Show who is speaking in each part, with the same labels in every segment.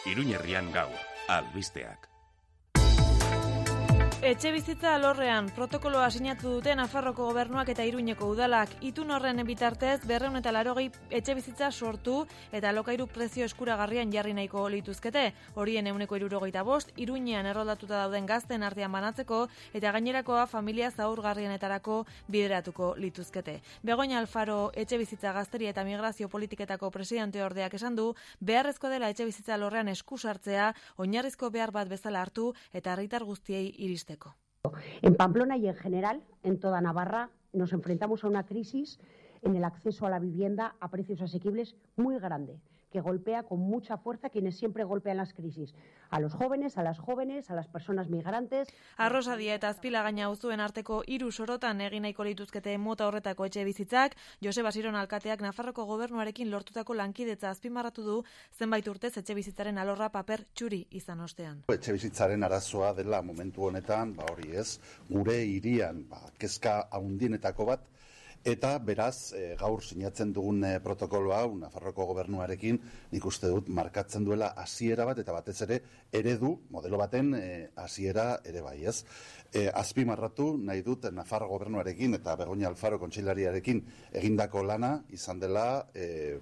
Speaker 1: Iruñerrian gaur, albisteak.
Speaker 2: Etxebizitza alorrean protokoloa sinatu dute Nafarroko gobernuak eta Iruñeko udalak. Itun horren bitartez 280 etxebizitza sortu eta alokairu prezio eskuragarrian jarri nahiko lituzkete. Horien 75 Iruñean erroldatuta dauden gazten artean banatzeko eta gainerakoa familia zaurgarrienetarako bideratuko lituzkete. Begoña Alfaro etxebizitza gazteria eta migrazio politiketako presidente ordeak esan du, beharrezko dela etxebizitza alorrean esku sartzea, oinarrizko behar bat bezala hartu eta herritar guztiei iristeko.
Speaker 3: En Pamplona y en general, en toda Navarra, nos enfrentamos a una crisis en el acceso a la vivienda a precios asequibles muy grande, que golpea con mucha fuerza a quienes siempre golpean las crisis, a los jóvenes, a las personas migrantes.
Speaker 2: Arrosadia eta Azpilagaina auzuen arteko 3 sorotan egin nahiko lituzkete mota horretako etxe bizitzak. Joseba Siron alkateak Nafarroko gobernuarekin lortutako lankidetza azpimarratu du, zenbait urtez etxe bizitzaren alorra paper txuri izan ostean.
Speaker 4: Etxe bizitzaren arazoa dela momentu honetan, hori ez, gure hirian kezka handienetako bat. Eta beraz, gaur sinatzen dugun protokolo hau Nafarroko gobernuarekin nik uste dut markatzen duela hasiera bat eta batez ere eredu, modelo baten hasiera ere bai, ez? Azpimarratu nahi dut Nafarro gobernuarekin eta Begoña Alfaro kontseilariarekin egindako lana izan dela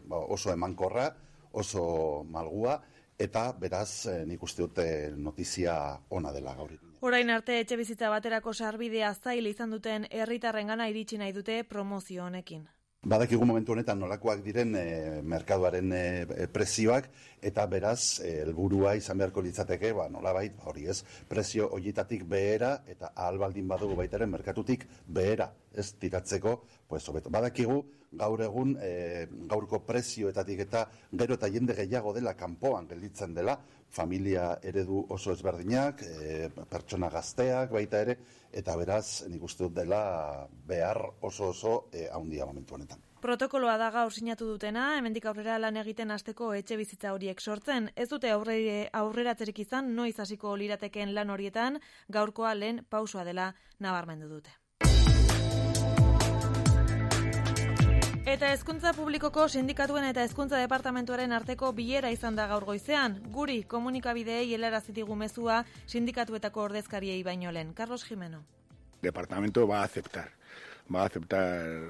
Speaker 4: oso emankorra, oso malgua, eta beraz nik uste dut notizia ona dela gaur.
Speaker 2: Orain arte etxebizitza baterako sarbidea zail izan duten herritarrengana iritsi nahi dute promozio honekin.
Speaker 4: Badakigu momentu honetan nolakoak diren merkaduaren prezioak eta beraz helburua izan beharko litzateke, nolabait hori ez, prezio horietatik behera eta ahal baldin badugu baitaren merkatutik behera ez tiratzeko, hobeto. Badakigu gaur egun gaurko prezioetatik eta gero eta jende gehiago dela kanpoan gelditzen dela, familia eredu oso ezberdinak, pertsona gazteak baita ere, eta beraz nik uste dut dela behar oso handia momentu honetan.
Speaker 2: Protokoloa da gaur sinatu dutena, hemendik aurrera lan egiten hasteko etxe bizitza horiek sortzen. Ez dute aurreratzerik izan noiz hasiko liratekeen lan horietan, gaurkoa lehen pausoa dela nabarmendu dute. Eta hezkuntza publikoko sindikatuen eta hezkuntza departamentuaren arteko bilera izan da gaur goizean. Guri komunikabideei helarazi digu mezua sindikatuetako ordezkariei baino lehen. Carlos Jimeno.
Speaker 5: El departamento va a aceptar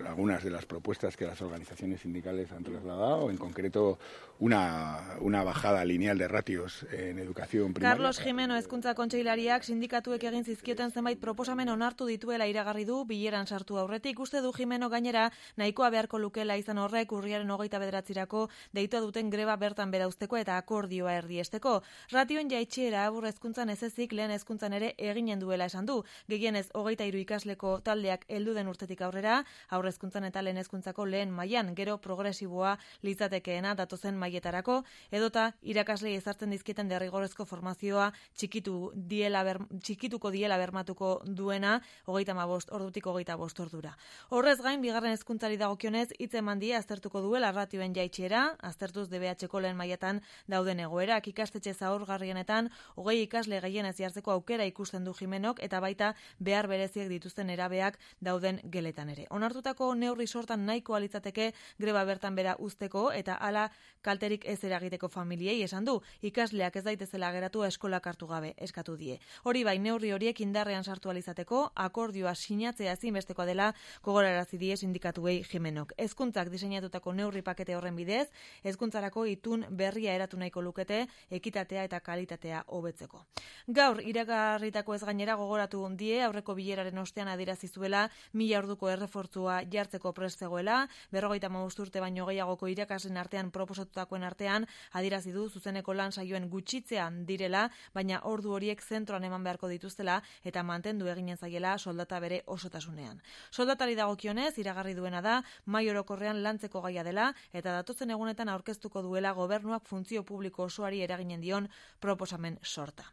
Speaker 5: algunas de las propuestas que las organizaciones sindicales han trasladado, en concreto una bajada lineal de ratios en educación primaria.
Speaker 2: Carlos Jimeno hezkuntza kontseilariak sindikatuek egin zizkioten zenbait proposamen onartu dituela iragarri du bileran sartu aurretik. Uste du Jimeno gainera nahikoa beharko lukela izan horrek urriaren 29 deitua duten greba bertan bera uzteko eta akordioa erdiesteko. Ratioen jaitsiera aurre hezkuntzan ez ezik lehen hezkuntzan ere eginen duela esan du. Gehienez 23 ikasleko taldeak heldu den urtetik aurrera, aurre hezkuntzan eta lehen hezkuntzako lehen mailan, gero progresiboa litzatekeena datozen mailetarako, edota irakaslei ezartzen dizkieten derrigorrezko formazioa txikituko diela bermatuko duena 35 ordutik 25 ordura. Horrez gain, bigarren hezkuntzari dagokionez hitz eman die aztertuko duela ratioen jaitsiera, aztertuz DBH-ko lehen mailetan dauden egoerak, ikastetxe zaurgarrienetan 20 ikasle gehienez jartzeko aukera ikusten du Jimenok eta baita behar bereziek dituzten erabeak dauden geletan ere. Onartutako neurri sortan nahikoa litzateke greba bertan bera uzteko eta hala kalterik ez eragiteko familiei esan du, ikasleak ez daitezela geratu eskolak hartu gabe eskatu die. Hori bai, neurri horiek indarrean sartu alizateko, akordioa sinatzea ezinbestekoa dela gogorarazi die sindikatuei Jimenok. Hezkuntzak diseinatutako neurri pakete horren bidez, hezkuntzarako itun berria eratu nahiko lukete, ekitatea eta kalitatea hobetzeko. Gaur iragarritako ez gainera gogoratu die aurreko bileraren ostean adierazi zuela 1000 orduko errefortzua jartzeko prest zegoela, 55 urte baino gehiagoko irakasleen artean proposatutakoen artean adierazi du zuzeneko lan saioen gutxitzean direla, baina ordu horiek zentroan eman beharko dituztela eta mantendu eginen zaiela soldata bere osotasunean. Soldatari dagokionez iragarri duena da mahai orokorrean lantzeko gaia dela eta datozen egunetan aurkeztuko duela gobernuak funtzio publiko osoari eraginen dion proposamen sorta.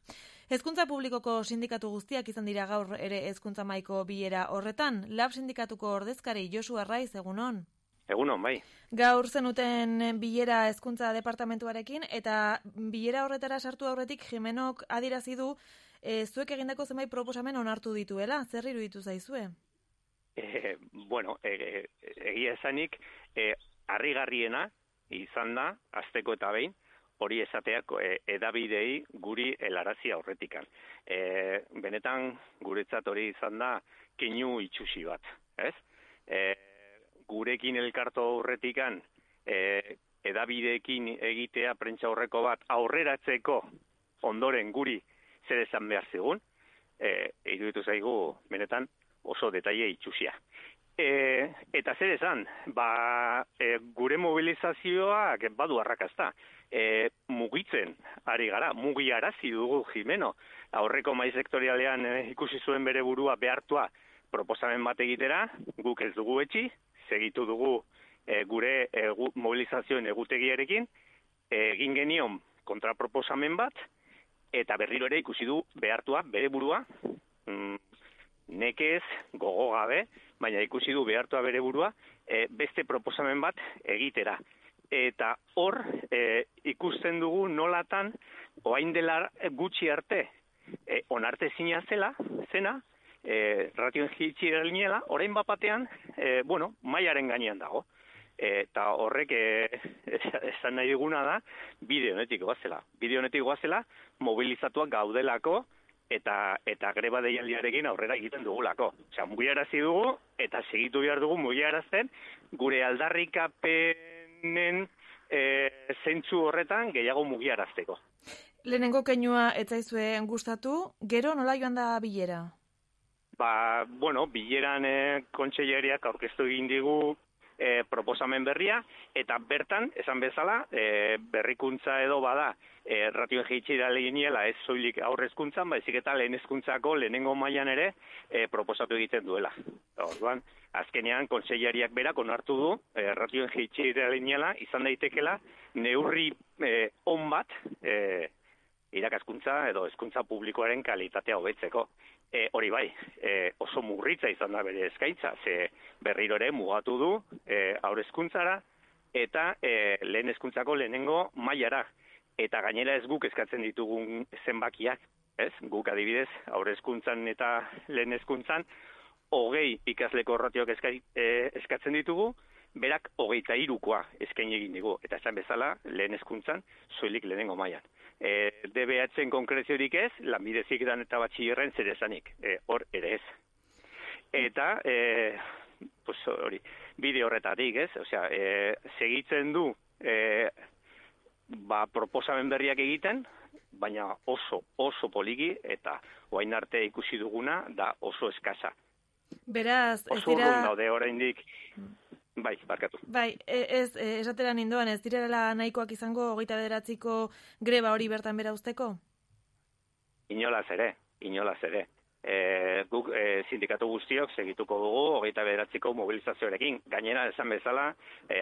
Speaker 2: Hezkuntza publikoko sindikatu guztiak izan dira gaur ere hezkuntza mahaiko bilera horretan. Lab sindikatuko ordezkari Josu Arraiz, egunon.
Speaker 6: Egunon, bai.
Speaker 2: Gaur zenuten bilera hezkuntza departamentuarekin eta bilera horretara sartu aurretik Jimenok adierazi du zuek egindako zenbait proposamen onartu dituela. Zer iruditu zaizue?
Speaker 6: Egia esanik, harrigarriena izan da, asteko eta behin, hori esateak edabidei guri helarazi aurretikan. Benetan guretzat hori izan da keinu itxusi bat, ez? Gurekin elkartu aurretikan edabideekin egitea prentsa aurreko bat aurreratzeko ondoren guri zer esan behar zigun, iruditu zaigu benetan oso detaile itxusia. Eta zer esan, gure mobilizazioak badu arrakazta. Mugitzen ari gara, mugiarazi dugu Jimeno. Aurreko mahai sektorialean ikusi zuen bere burua behartua proposamen bat egitera, guk ez dugu etxi, segitu dugu gure mobilizazioen egutegiarekin, egin genion kontraproposamen bat, eta berriro ere ikusi du behartua bere burua, nekez, gogo gabe, baina ikusi du behartua bere burua, beste proposamen bat egitera. Eta hor ikusten dugu nolatan, orain dela gutxi arte, onarte zena, ratioen jitsi ginela, orain bapatean, mailaren gainean dago. Eta horrek esan nahi diguna da, bide honetik goazela. Bide honetik goazela, mobilizatuak gaudelako, eta greba deialdiarekin aurrera egiten dugulako. Osea, mugiarazi dugu, eta segitu behar dugu mugiarazten, gure aldarrikapenen zentzu horretan gehiago mugiarazteko.
Speaker 2: Lehenengo keinua etzaizue gustatu, gero nola joan da bilera?
Speaker 6: Bileran kontseilariak aurkeztu egin digu proposamen berria, eta bertan, esan bezala, berrikuntza edo bada, ratioen jeitsi da leginela ez soilik aurrezkuntzan, baizik eta lehen hezkuntzako lehenengo mailan ere proposatu egiten duela. Orduan, azkenean, kontseilariak berak onartu du, ratioen jeitsi da leginela, izan daitekela, neurri on bat, irakaskuntza edo hezkuntza publikoaren kalitatea hobetzeko. Hori bai, oso murritza izan da bere eskaintza, ze berriro ere mugatu du haurhezkuntzara eta lehen hezkuntzako lehenengo mailara. Eta gainera ez guk eskatzen ditugun zenbakiak, ez? Guk adibidez, haurhezkuntzan eta lehen hezkuntzan 20 ikasleko ratioak eskatzen ditugu, berak 23koa eskaini egin digu. Eta esan bezala, lehen hezkuntzan, soilik lehenengo mailan. DBH-en konkreziorik ez, lanbide heziketan eta batxilerren zer esanik, hor ere ez. Eta, hori, bide horretatik ez, osea, segitzen du proposamen berriak egiten, baina oso poliki eta orain arte ikusi duguna da oso eskasa.
Speaker 2: Beraz, ez
Speaker 6: oso
Speaker 2: dira...
Speaker 6: urrun daude oraindik. Bai, barkatu.
Speaker 2: Bai, esatera nindoan, ez direla nahikoak izango 29ko greba hori bertan bera usteko?
Speaker 6: Inolaz ere. Guk sindikatu guztiok segituko dugu 29ko mobilizazioarekin. Gainera, esan bezala,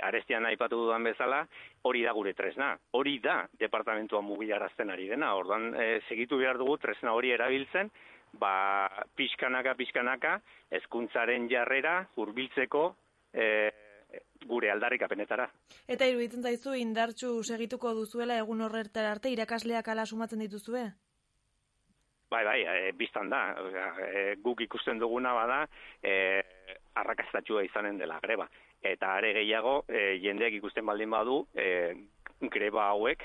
Speaker 6: arestian aipatu dudan bezala, hori da gure tresna. Hori da departamentua mugiarazten ari dena. Orduan, segitu behar dugu tresna hori erabiltzen, pixkanaka, hezkuntzaren jarrera hurbiltzeko gure aldarrikapenetara.
Speaker 2: Eta iruditzen zaizu indartsu segituko duzuela egun horretara arte irakasleak ala sumatzen dituzue?
Speaker 6: Bai, biztan da. Guk ikusten duguna bada arrakastatxua izanen dela greba. Eta are gehiago, jendeak ikusten baldin badu, greba hauek,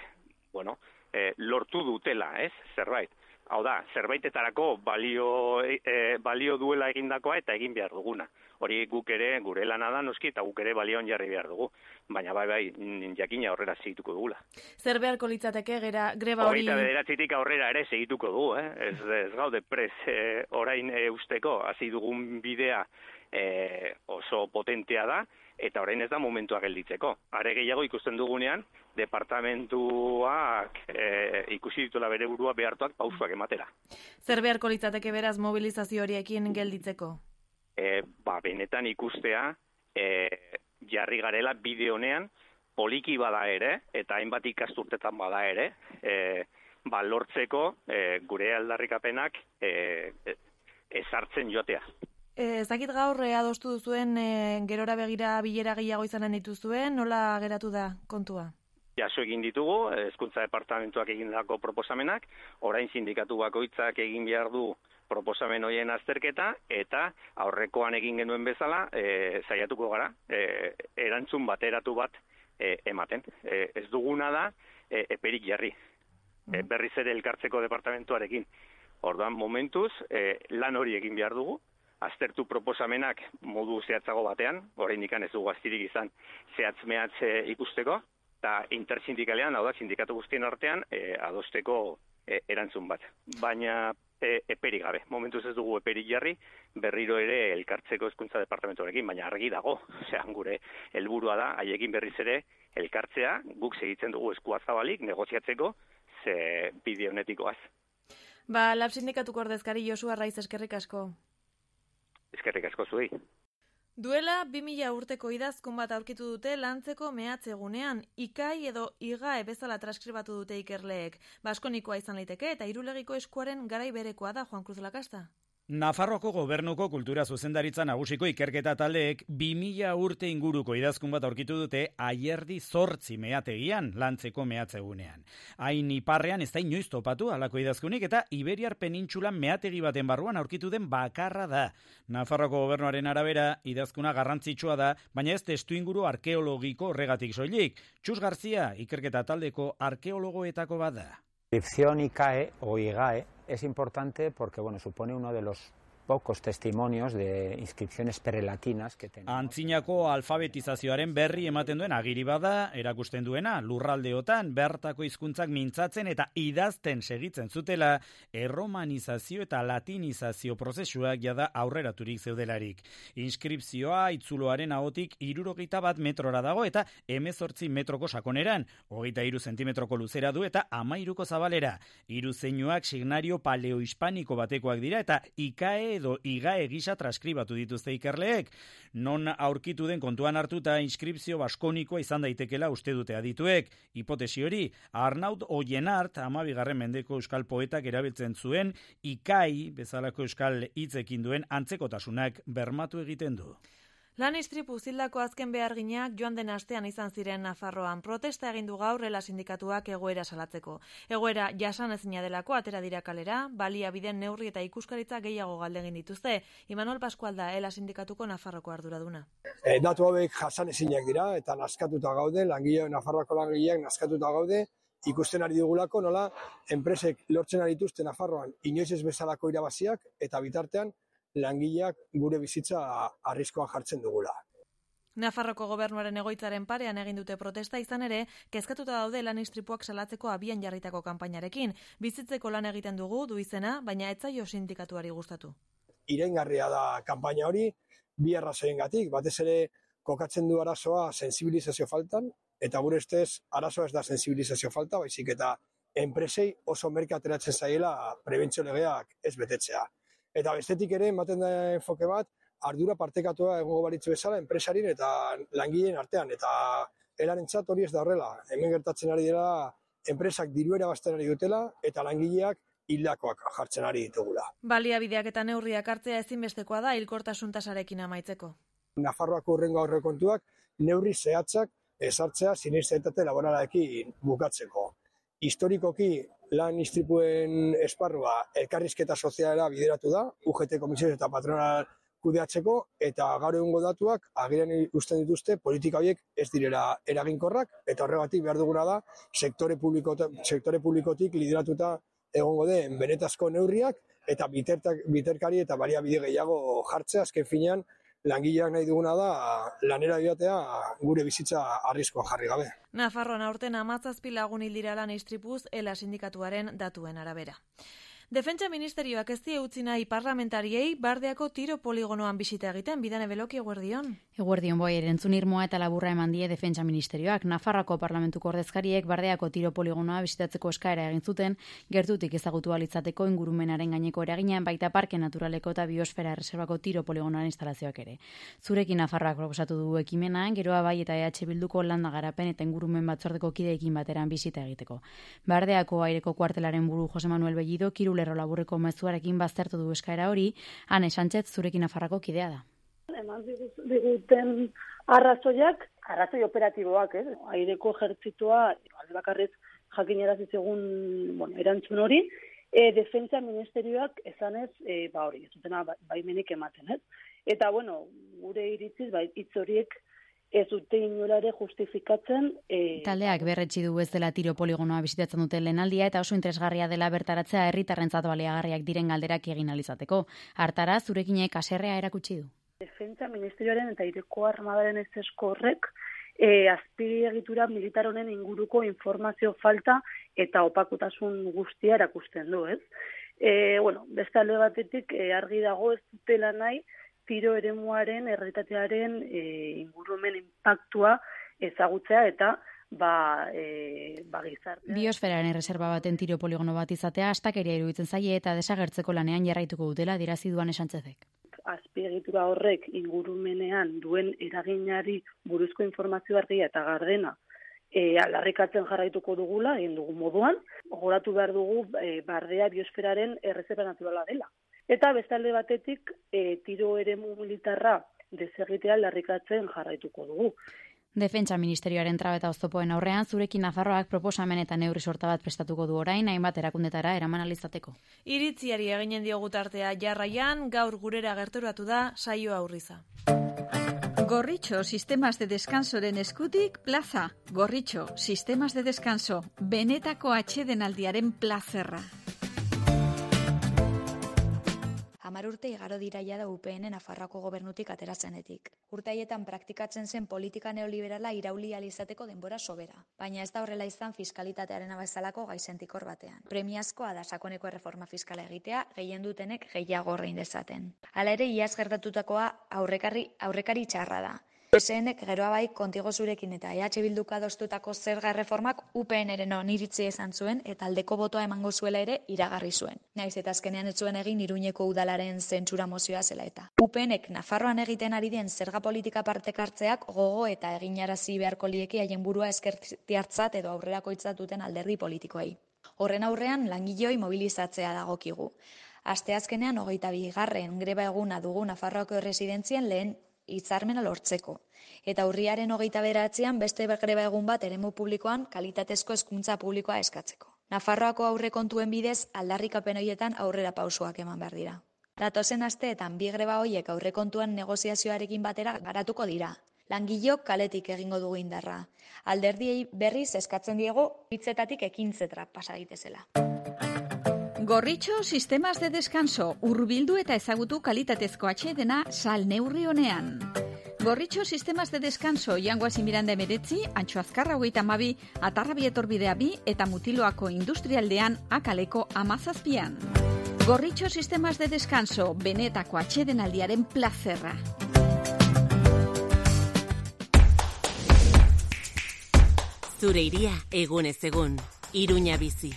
Speaker 6: lortu dutela, ez? Zerbait. Hau da, zerbaitetarako balio duela egindakoa eta egin behar duguna. Hori guk ere, gure lana da noski, eta guk ere balioan jarri behar dugu. Baina bai, jakina aurrera segituko dugula.
Speaker 2: Zer beharko litzateke greba hori...
Speaker 6: 29tik aurrera ere segituko dugu, Ez gaude prez orain usteko, hasi dugun bidea oso potentea da, eta orain ez da momentua gelditzeko. Are gehiago ikusten dugunean, departamentuak ikusi dituela bere burua behartuak pausuak ematera.
Speaker 2: Zer beharko litzateke beraz mobilizazio horiekin gelditzeko?
Speaker 6: Benetan ikustea jarri garela bide honean poliki bada ere, eta hainbat ikasturtetan bada ere, lortzeko gure aldarrikapenak ezartzen joatea.
Speaker 2: Ezakit gaur adostu duzuen gerora begira bilera gehiago izanen dituzuen, nola geratu da kontua?
Speaker 6: Jaso egin ditugu, hezkuntza departamentuak egindako proposamenak, orain sindikatu bakoitzak egin behar du proposamen horien azterketa, eta aurrekoan egin genuen bezala, saiatuko gara, erantzun bateratu bat ematen. Ez duguna da eperik jarri. Berriz ere elkartzeko departamentuarekin. Orduan, momentuz, lan hori egin behar dugu, aztertu proposamenak modu zehatzago batean, oraindik ez dugu astirik izan zehatz-mehatz ikusteko, eta intersindikalean, hau da, sindikatu guztien artean, adosteko erantzun bat. Baina eperik gabe. Momentuz ez dugu eperik jarri, berriro ere elkartzeko hezkuntza departamentuarekin, baina argi dago. Osea, gure helburua da, haiekin berriz ere elkartzea, guk segitzen dugu eskua zabalik, negoziatzeko, ze bide honetikoaz.
Speaker 2: Lab sindikatuko ordezkari Josu Arraiz, eskerrik asko.
Speaker 6: Eskerrik asko zuei.
Speaker 2: Duela 2000 urteko idazkun bat aurkitu dute lantzeko mehatzegunean, ikai edo igae bezala transkribatu dute ikerleek. Baskonikoa izan liteke eta Irulegiko eskuaren garai berekoa da, Juan Cruz Lakasta.
Speaker 7: Nafarroako gobernuko kultura zuzendaritza nagusiko ikerketa taldeek 2000 urte inguruko idazkun bat aurkitu dute Aierdi 8 meategian, lantzeko mehatzegunean. Hain iparrean ez da inoiz topatu halako idazkunik eta Iberiar penintsulan meategi baten barruan aurkitu den bakarra da. Nafarroako gobernuaren arabera idazkuna garrantzitsua da, baina ez testuinguru arkeologiko horregatik soilik. Txus Garzia ikerketa taldeko arkeologoetako bat da.
Speaker 8: La inscripción ICAE o IGAE es importante porque supone uno de los pocos testimonios de inscripciones prelatinas que tenemos.
Speaker 7: Antzinako alfabetizazioaren berri ematen duen agiri bada, erakusten duena, lurraldeotan bertako hizkuntzak mintzatzen eta idazten segitzen zutela, erromanizazio eta latinizazio prozesuak jada aurreraturik zeudelarik. Inskripzioa itzuloaren ahotik 61 metrora dago eta 18 metroko sakoneran, 23 zentimetroko luzera du eta 13ko zabalera. Hiru zeinuak signario paleohispaniko batekoak dira eta ICAE edo igae gisa transkribatu dituzte ikerleek. Non aurkitu den kontuan hartuta inskripzio baskonikoa izan daitekela uste dute adituek. Hipotesi hori, Arnaud Oienart, 12. mendeko euskal poetak erabiltzen zuen, ikai bezalako euskal hitzekin duen antzekotasunak bermatu egiten du.
Speaker 2: Lan istripu zildako azken beharginak joan den astean izan ziren Nafarroan. Protesta egin du gaur Ela sindikatuak egoera salatzeko. Egoera jasanezina delako atera dira kalera, baliabideen neurri eta ikuskaritza gehiago galdegin dituzte. Imanol Pascual da Ela sindikatuko Nafarroko arduraduna.
Speaker 9: Datu hauek jasanezinak dira eta naskatuta gaude, Nafarroako langileak naskatuta gaude, ikusten ari dugulako nola enpresek lortzen ari dituzte Nafarroan inoiz ez bezalako irabaziak eta bitartean langileak gure bizitza arriskoan jartzen dugula.
Speaker 2: Nafarroko gobernuaren egoitzaren parean egin dute protesta izan ere, kezkatuta daude lan istripuak salatzeko abian jarritako kanpainarekin. Bizitzeko lan egiten dugu du izena, baina ez zaio sindikatuari gustatu.
Speaker 9: Iraingarria da kanpaina hori, bi arrazoiengatik, batez ere kokatzen du arazoa sensibilizazio faltan, eta gure ustez arazoa ez da sensibilizazio falta, baizik eta enpresei oso merke ateratzen zaiela prebentzio legeak ez betetzea. Eta bestetik ere, ematen da enfoke bat, ardura partekatua egongo balitzu bezala enpresarin eta langileen artean. Eta elarentzat hori ez da horrela. Hemen gertatzen ari dela, enpresak diruera bazten ari dutela eta langileak hildakoak jartzen ari ditugula.
Speaker 2: Baliabideak eta neurriak hartzea ezinbestekoa da hilkortasun tasarekin amaitzeko.
Speaker 9: Nafarroako hurrengo aurrekontuak neurri zehatzak ezartzea siniestralitate laboralarekin bukatzeko. Historikoki lan istripuen esparrua elkarrizketa sozialera bideratu da, UGT komisiones eta patronal kudeatzeko, eta gaur egungo datuak agerian usten dituzte politika horiek ez direla eraginkorrak, eta horregatik behar duguna da sektore publikotik lideratuta egongo den benetazko neurriak, eta biterkari eta baliabide gehiago jartzea, azken finean langileak nahi duguna da lanera joatea gure bizitza arriskoan jarri gabe.
Speaker 2: Nafarroan aurten 17 lagun hil dira lan istripuz Ela sindikatuaren datuen arabera. Defentsa ministerioak ez die utzi nahi parlamentariei Bardeako tiro poligonoan bisita egiten, Bidane Beloki, eguerdion.
Speaker 10: Eguerdion boi, erantzun irmoa eta laburra eman die Defentsa ministerioak. Nafarroako parlamentuko ordezkariek Bardeako tiro poligonoa bisitatzeko eskaera egin zuten, gertutik ezagutu alitzateko ingurumenaren gaineko eragina, baita parke naturaleko eta biosfera erreserbako tiro poligonoaren instalazioak ere. Zurekin Nafarroak proposatu du ekimena, geroa bai eta EH Bilduko landa garapen eta ingurumen batzordeko kideekin bateran bisita egiteko. Bardeako aireko kuartelaren buru Jose Manuel Bellido kirulerro laburreko mezuarekin baztertu du eskaera hori, Ane Sánchez zurekin Nafarroako kidea da.
Speaker 11: Eman diguten arrazoi operatiboak, aireko ejertzitoa, alde bakarrez jakinarazi zigun erantzun hori, defentsa ministerioak esanez, hori, ez dutena baimenik ematen, ez? Eta, gure iritziz, hitz horiek ez dute inolare justifikatzen.
Speaker 10: Taldeak berretsi du ez dela tiro poligonoa bisitatzen duten lehenaldia eta oso interesgarria dela bertaratzea herritarrentzat baliagarriak diren galderak egin alizateko. Hartara, zurekinek haserrea erakutsi du.
Speaker 11: Defentsa Ministerioaren eta Aireko Armadaren ezesko horrek azpiegitura militar honen inguruko informazio falta eta opakutasun guztia erakusten du, ez? Beste alde batetik argi dago ez dutela nahi tiro eremuaren, errealitatearen ingurumen inpaktua ezagutzea eta gizartea.
Speaker 10: Biosferaren erreserba baten tiro poligono bat izatea astakeria iruditzen zaie eta desagertzeko lanean jarraituko dutela adierazi duan Sanchezek.
Speaker 11: Azpiegitura horrek ingurumenean duen eraginari buruzko informazio argia eta gardena aldarrikatzen jarraituko dugula, egin dugu moduan, gogoratu behar dugu bardea biosferaren erreserba naturala dela. Eta bestalde batetik tiro eremu militarra desegitea aldarrikatzen jarraituko dugu.
Speaker 10: Defentsa Ministerioaren trabeta oztopoen aurrean, zurekin Nafarroak proposamen eta neurri sorta bat prestatuko du orain, hainbat erakundetara eraman alizateko.
Speaker 2: Iritziari eginen diogu tartea jarraian, gaur gurera gerturatu da saio aurriza.
Speaker 12: Gorritxo Sistemas de Descansoren eskutik plaza. Gorritxo Sistemas de Descanso, benetako atsedenaldiaren plazerra.
Speaker 13: 10 urte igaro dira jada UPN Nafarroako gobernutik aterazenetik. Urte haietan praktikatzen zen politika neoliberala irauli ahal izateko denbora sobera. Baina ez da horrela izan fiskalitatearen abezalako gaizentikor batean. Premiazkoa da sakoneko erreforma fiskala egitea, gehien dutenek gehiago ordain dezaten. Hala ere, iaz gertatutakoa aurrekari txarra da. PSNek geroa bai kontigo zurekin eta EH Bilduk adostutako zerga erreformak UPNren oniritzi izan zuen eta aldeko botoa emango zuela ere iragarri zuen. Naiz eta azkenean ez zuen egin Iruñeko udalaren zentsura mozioa zela eta. UPNek Nafarroan egiten ari den zerga politika partekartzeak gogo eta eginarazi beharko lieke haien burua eskertiartzat edo aurrerakoitzat duten alderdi politikoei. Horren aurrean langileoi mobilizatzea dagokigu. Asteazkenean 22. greba eguna dugu Nafarroako erresidentzien lehen hitzarmena lortzeko. Eta urriaren 29an beste greba egun bat eremu publikoan kalitatezko hezkuntza publikoa eskatzeko. Nafarroako aurrekontuen bidez aldarrikapen horietan aurrera pausoak eman behar dira. Datozen asteetan bi greba horiek aurrekontuan negoziazioarekin batera garatuko dira. Langileok kaletik egingo dugu indarra. Alderdiei berriz eskatzen diego hitzetatik ekintzetara pasa daitezela.
Speaker 12: Gorritxo Sistemas de Descanso, hurbildu eta ezagutu kalitatezko atsedena sal neurri honean. Gorritxo Sistemas de Descanso, Jangoasi Miranda 19, Antxo Azkarra 32, Atarrabi etorbidea 2 eta Mutiloako industrialdean Akaleko 17. Gorritxo Sistemas de Descanso, benetako atsedenaldiaren plazerra.
Speaker 14: Zure iria egunez egun, Iruña bizi.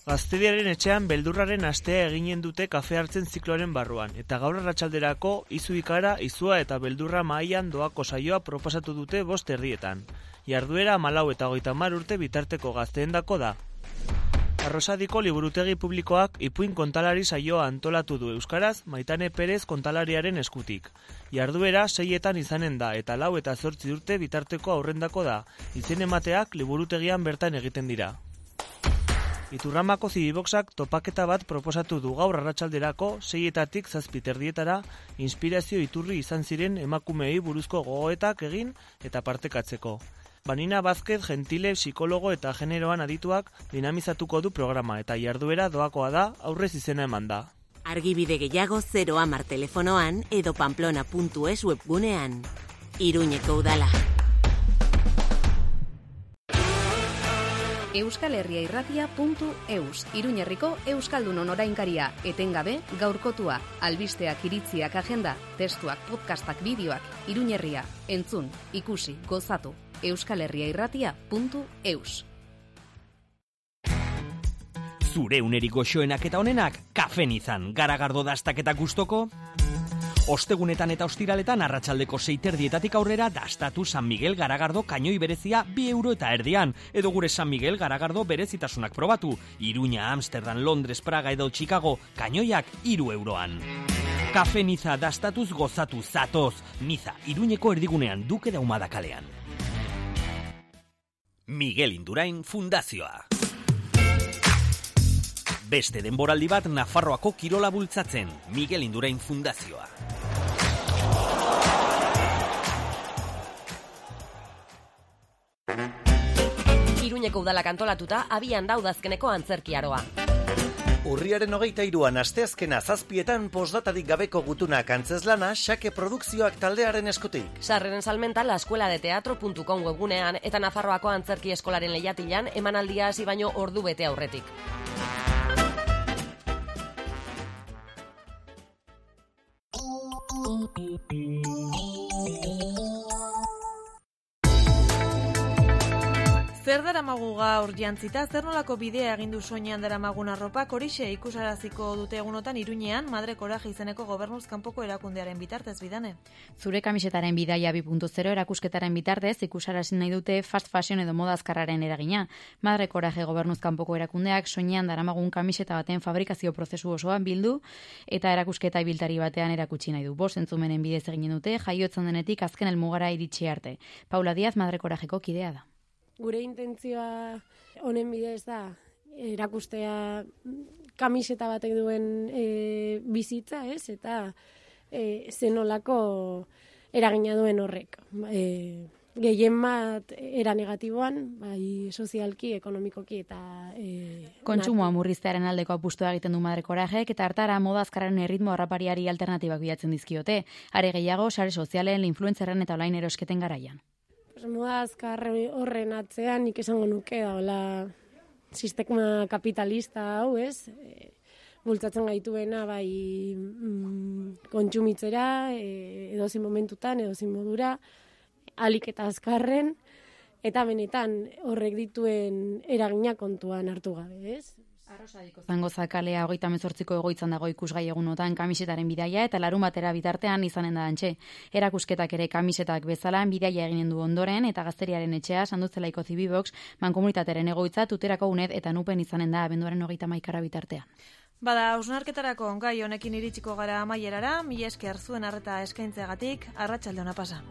Speaker 15: Gaztediaren etxean beldurraren astea eginen dute kafe hartzen zikloaren barruan, eta gaur arratsalderako izu ikara, izua eta beldurra mahaian doako saioa proposatu dute 5 erdietan. Jarduera 14 eta 30 urte bitarteko gazteendako da. Arrosadiko liburutegi publikoak ipuin kontalari saioa antolatu du euskaraz Maitane Perez kontalariaren eskutik. Jarduera 6etan izanen da eta 4 eta 8 urte bitarteko aurrendako da. Izen emateak liburutegian bertan egiten dira. Iturramako zibiboxak topaketa bat proposatu du gaur arratsalderako 6etatik 7 erdietara inspirazio iturri izan ziren emakumeei buruzko gogoetak egin eta partekatzeko. Banina Vázquez Gentile psikologo eta generoan adituak dinamizatuko du programa eta jarduera doakoa da aurrez izena eman da.
Speaker 14: Argibide gehiago 010 telefonoan edo pamplona.es webgunean. Iruñeko udala.
Speaker 16: euskalherriairratia.eus, Iruñerriko Euskaldunon orainkaria, etengabe, gaurkotua, albisteak, iritziak, agenda, testuak, podcastak, bideoak, Iruñerria, entzun, ikusi, gozatu, euskalherriairratia.eus.
Speaker 17: Zure unerik goxoenak eta honenak, kafenizan, garagardo dastaketa gustoko? Ostegunetan eta ostiraletan arratsaldeko 6 aurrera dastatu San Miguel Garagardo kainoi berezia 2 euro eta erdian, edo gure San Miguel Garagardo berezitasunak probatu. Iruña, Amsterdam, Londres, Praga edo Chicago, kainoiak 3 euroan. Kafe Niza dastatuz gozatu zatoz. Niza, Iruñeko erdigunean, Duke da Humada kalean. Miguel Indurain Fundazioa. Beste denboraldi bat Nafarroako kirola bultzatzen, Miguel Indurain Fundazioa.
Speaker 18: Iruñeko udalak antolatuta abian daudazkeneko antzerkiaroa.
Speaker 19: Urriaren 23an asteazkena 7etan postdatarik gabeko gutunak antzeslana Xake Produkzioak taldearen eskutik.
Speaker 18: Sarreren salmenta laeskueladeteatro.com webgunean eta Nafarroako antzerki eskolaren lehiatilan emanaldia hasi baino ordu bete aurretik.
Speaker 2: Zer daramagu gaur jantzita, zer nolako bidea egin du soinean daramagun arropak, horixe ikusaraziko dute egunotan Iruñean Madre Coraje izeneko gobernuz kanpoko erakundearen bitartez, Bidane.
Speaker 10: Zure kamisetaren bidaia 2.0 erakusketaren bitartez ikusarazi nahi dute fast fashion edo moda azkarraren eragina. Madre Coraje gobernuz kanpoko erakundeak soinean daramagun kamiseta baten fabrikazio prozesu osoan bildu eta erakusketa ibiltari batean erakutsi nahi du. 5 entzumenen bidez egin dute, jaiotzen denetik azken helmugara iritsi arte. Paula Díaz Madre Corajeko kidea da.
Speaker 20: Gure intentzioa honen bidez da erakustea kamiseta batek duen bizitza, ez? Eta zenolako eragina duen horrek. Gehien bat era negatiboan, bai sozialki, ekonomikoki eta...
Speaker 10: Kontsumoa murriztearen aldeko apustua egiten du Madre Corajek eta hartara moda azkarren erritmo harrapariari alternatibak bilatzen dizkiote. Are gehiago, sare sozialen, influencerren eta online erosketen garaian.
Speaker 20: Moda azkar horren atzean nik esango nuke daola sistema kapitalista hau, ez? Bultzatzen gaituena bai kontsumitzera, edozein momentutan, edozein modura, ahalik eta azkarren, eta benetan horrek dituen eragina kontuan hartu gabe, ez?
Speaker 10: Arrosadiko zango zakalea 38ko egoitzan dago ikusgai egunotan kamisetaren bidaia eta larun batera bitartean izanen da antxe. Erakusketak ere kamisetak bezala bidaia eginen du ondoren eta Gazteriaren etxea Sandutzelaiko Zibibox mankomunitatearen egoitza Tuterako UNED eta Nupen izanen da abenduaren 31 bitartean.
Speaker 2: Bada, hausnarketarako gai honekin iritsiko gara amaierara, mila esker zuen arreta eskaintzeagatik, arratsalde ona pasa.